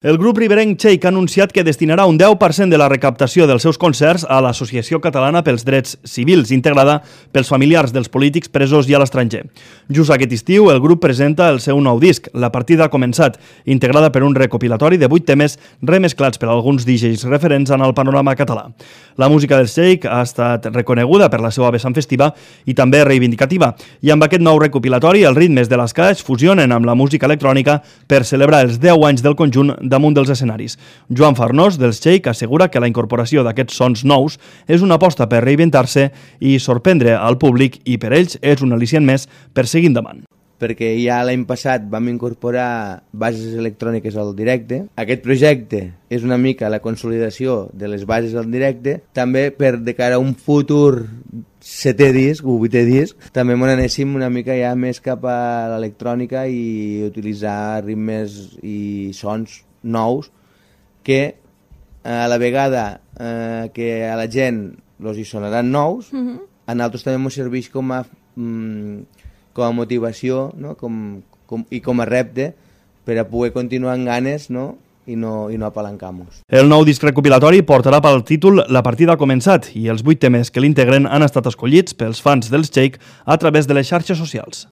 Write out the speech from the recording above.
El grup riberenc Cheik ha anunciat que destinarà un 10% de la recaptació dels seus concerts a l'Associació Catalana pels Drets Civils, integrada pels familiars dels polítics presos i a l'estranger. Just aquest estiu, el grup presenta el seu nou disc, La partida ha començat, integrada per un recopilatori de 8 temes remesclats per alguns DJs referents en el panorama català. La música dels Cheik ha estat reconeguda per la seva vessant festiva i també reivindicativa, i amb aquest nou recopilatori els ritmes de l'esca es fusionen amb la música electrònica per celebrar els 10 anys del conjunt damunt dels escenaris. Joan Farnós, dels Cheik, assegura que la incorporació d'aquests sons nous és una aposta per reinventar-se i sorprendre al públic i per ells és un al·licient més per seguir endavant. Perquè ja l'any passat vam incorporar bases electròniques al directe. Aquest projecte és una mica la consolidació de les bases al directe, també per de cara a un futur 7è disc o 8è disc, també m'ho anéssim una mica ja més cap a l'electrònica i utilitzar ritmes i sons nous que a la vegada que a la gent els hi sonaran nous, a nosaltres també ens serveix com a motivació, no? I com a repte per a poder continuar amb ganes, no? I no apalancar-nos. El nou disc recopilatori portarà pel títol La partida ha començat i els 8 temes que l'integren han estat escollits pels fans dels Cheik a través de les xarxes socials.